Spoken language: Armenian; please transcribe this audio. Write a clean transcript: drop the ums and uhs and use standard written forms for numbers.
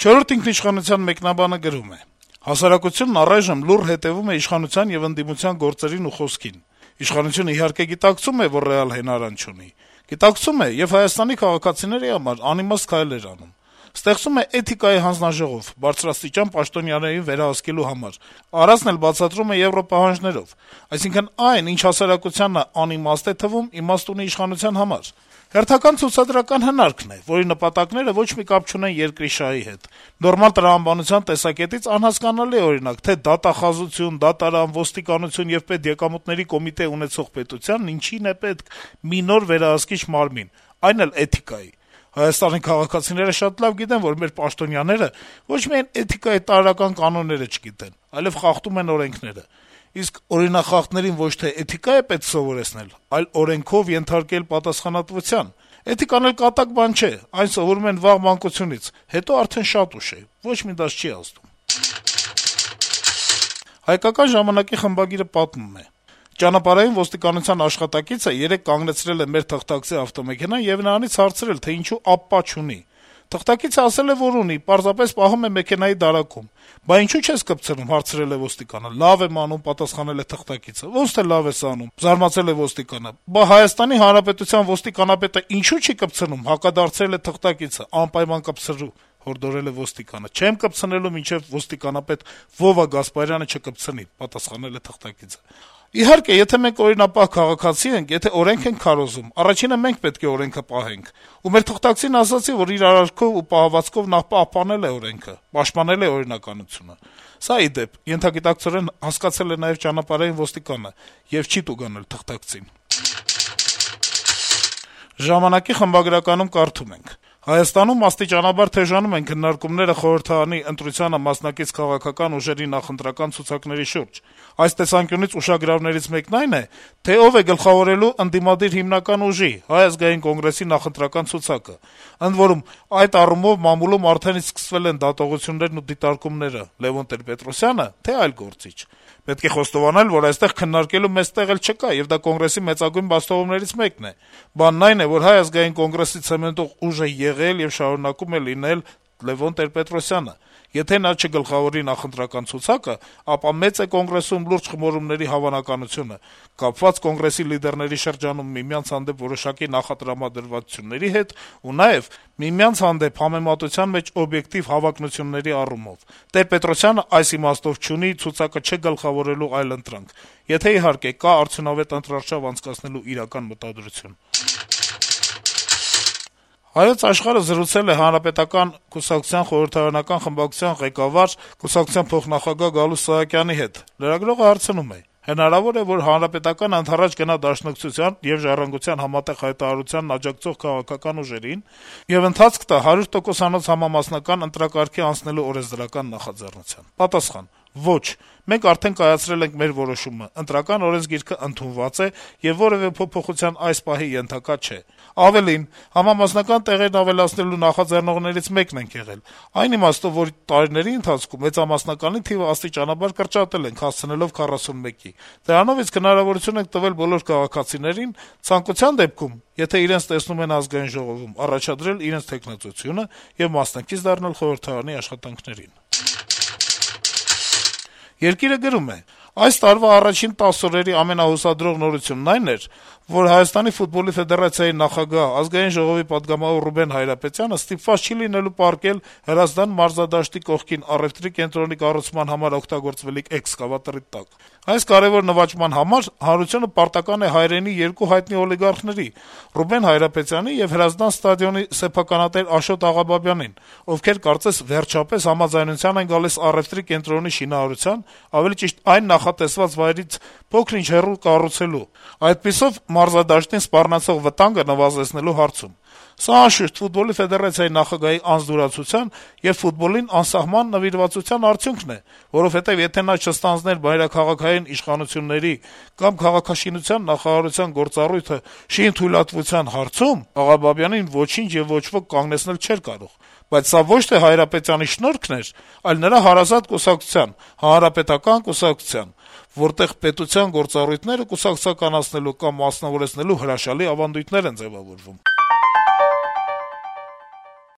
«Չորրորդ ինքնիշխանության» մեկնաբանը գրում է. - «Հասարակությունն առայժմ լուռ հետեւում է իշխանության եւ ընդդիմության գործերին ու խոսքին: Իշխանությունը իհարկե գիտակցում է, որ ռեալ հենարան չունի: Գիտակցում է եւ Հայաստանի քաղաքացիների համար անիմաստ քայլեր անում: Ստեղծում է էթիկայի հանձնաժողով բարձրաստիճան պաշտոնյաներին վերահսկելու համար: Արածն էլ բացատրում է եվրոպահանջներով: Այսինքն այն, ինչ հասարակությանը անիմաստ է թվում, իմաստ ունի իշխանության համար: Հերթական ցուցադրական հնարքն է, որի նպատակները ոչ մի կապ չունեն երկրի շահի հետ: Նորմալ տրամաբանության տեսակետից անհասկանալի է, օրինակ, թե դատախազություն, դատարան, ոստիկանություն եւ պետեկամուտների կոմիտե ունեցող պետությանն ինչին է պետք մի նոր վերահսկիչ մարմին, այն էլ էթիկայի: Հայաստանի քաղաքացիները շատ լավ գիտեն, որ մեր պաշտոնյաները ոչ միայն էթիկայի տարրական կանոնները չգիտեն, այլեւ խախտում են օրենքները: Իսկ օրինախախտներին ոչ թե էթիկա է պետք սովորեցնել, այլ օրենքով ենթարկել պատասխանատվության: Էթիկան էլ կատակ բան չէ, այն սովորում են վաղ մանկությունից, հետո արդեն շատ ուշ է, ոչ մի դաս չի ազդում»: «Հայկական ժամանակ»-ի խմբագիրը պատմում է. - «Ճանապարհային ոստիկանության աշխատակիցը երեկ կանգնեցրել է մեր թղթակցի ավտոմեքենան եւ նրանից հարցրել, թե ինչու ԱՊՊԱ չունի: Թղթակիցը ասել է, որ ունի, պարզապես պահում է մեքենայի դարակում: Բա ինչու չես կպցնում, հարցրել է ոստիկանը: Լավ եմ անում, պատասխանել է թղթակիցը: Ոնց թե լավ ես անում, զարմացել է ոստիկանը: Բա Հայաստանի Հանրապետության ոստիկանապետը ինչու չի կպցնում, հակադարձել է թղթակիցը: Անպայման կպցրու, հորդորել է ոստիկանը: Չեմ կպցնելու, մինչեւ ոստիկանապետ Վովա Գասպարյանը չկպցնի, պատասխանել է թղթակիցը: Իհարկե, եթե մենք օրինապահ քաղաքացի ենք, եթե օրենք ենք քարոզում, առաջինը մենք պետք է օրենքը պահենք: Ու մեր թղթակցին ասացի, որ իր արարքով ու պահվածքով նախ պահպանել է օրենքը, պաշտպանել է օրինականությունը: Սա, ի դեպ, ենթագիտակցորեն հասկացել է նաեւ ճանապարհային ոստիկանը եւ չի տուգանել թղթակցին»: «Ժամանակ»-ի խմբագրականում կարդում ենք. - «Հայաստանում աստիճանաբար թեժանում են քննարկումները խորհրդարանի ընտրությանը մասնակից քաղաքական ուժերի նախընտրական ցուցակների շուրջ: Այս տեսանկյունից ուշագրավներից մեկն այն է, թե ով է գլխավորելու ընդդիմադիր հիմնական ուժի՝ Հայ ազգային կոնգրեսի նախընտրական ցուցակը: Ընդ որում, այդ առումով մամուլում արդեն իսկ սկսվել են դատողություններն ու դիտարկումները՝ Լեւոն Տեր-Պետրոսյանը, թե այլ գործիչ: Պետք է խոստովանել, որ այստեղ քննարկելու մեծ տեղ էլ չկա, եւ դա Կոնգրեսի մեծագույն բացթողումներից մեկն է: Բանն այն է, որ Հայ ազգային կոնգրեսի ցեմենտող ուժը եղել եւ շարունակում է լինել Լեւոն Տեր-Պետրոսյանը: Եթե նա չգլխավորի նախընտրական ցուցակը, ապա մեծ է Կոնգրեսում լուրջ խմորումների հավանականությունը՝ կապված Կոնգրեսի լիդերների շրջանում միմյանց հանդեպ որոշակի նախատրամադրվածությունների հետ ու նաեւ միմյանց հանդեպ համեմատության մեջ օբյեկտիվ հավակնությունների առումով: Տեր-Պետրոսյանը այս իմաստով չունի ցուցակը չգլխավորելու այլընտրանք, եթե, իհարկե, կա արդյունավետ ընտրարշավ անցկացնելու իրական մտադրություն»: «Հայոց Աշխարհ»-ը զրուցել է Հանրապետական կուսակցության խորհրդարանական խմբակցության ղեկավար, կուսակցության փոխնախագահ Գալուստ Սահակյանի հետ: Լրագրողը հարցնում է. - «Հնարավո՞ր է, որ Հանրապետականը ընդառաջ գնա Դաշնակցության եւ «Ժառանգության» համատեղ հայտարարությանն աջակցող քաղաքական ուժերին եւ ընթացք տա 100%-անոց համամասնական ընտրակարգի անցնելու օրենսդրական նախաձեռնության»: Պատասխան. - «Ոչ, մենք արդեն կայացրել ենք մեր որոշումը: Ընտրական օրենսգիրքը ընդունված է եւ որեւէ փոփոխության այս պահի ենթակա չէ: Ավելին, համամասնական տեղերն ավելացնելու նախաձեռնողներից մեկն ենք եղել, այն իմաստով, որ տարիների ընթացքում մեծամասնականի թիվը աստիճանաբար կրճատել ենք՝ հասցնելով 41-ի: Դրանով իսկ հնարավորություն ենք տվել բոլոր քաղաքացիներին, ցանկության դեպքում, եթե իրենց տեսնում են Ազգային ժողովում, առաջադրել իրենց թեկնածությունը եւ մասնակից դառնալ խորհրդարանի աշխատանքներին»: «Երկիր»-ը գրում է. - «Այս տարվա առաջին 10 օրերի ամենահուսադրող նորությունն այն էր, որ Հայաստանի ֆուտբոլի ֆեդերացիայի նախագահ, Ազգային ժողովի պատգամավոր Ռուբեն Հայրապետյանը ստիպված չի լինելու պառկել Հրազդան մարզադաշտի կողքին առեւտրի կենտրոնի կառուցման համար օգտագործվելիք էքսկավատորի տակ: Այս կարեւոր նվաճման համար հանրությունը պարտական է հայրենի երկու հայտնի օլիգարխների՝ Ռուբեն Հայրապետյանին եւ Հրազդան ստադիոնի սեփականատեր Աշոտ Աղաբաբյանին, ովքեր կարծես վերջապես համաձայնության են գալիս առեւտրի կենտրոնի շինարարության, ավելի ճիշտ այն նախատեսված վայրից փոքր-ինչ հեռու կառուցելու, այդպիսով մարզադաշտին սպառնացող վտանգը նվազեցնելու հարցում: Սա, անշուշտ, ֆուտբոլի ֆեդերացիայի նախագահի անզորացության եւ ֆուտբոլին անսահման նվիրվածության արդյունքն է, որովհետեւ եթե նա չստանձներ մայրաքաղաքային իշխանությունների կամ քաղաքաշինության նախարարության գործառույթը շինթույլատվության հարցում, Աղաբաբյանին ոչինչ եւ ոչ ոք կանգնեցնել չէր կարող: Բայց սա ոչ թե Հայրապետյանի շնորհքն էր, այլ նրա հարազատ կուսակցության՝ Հանրապետական կուսակցության, որտեղ պետության գործառույթները կուսակցականացնելու կամ մասնավորեցնելու հրաշալի ավանդույթներ են ձեւավորվում»: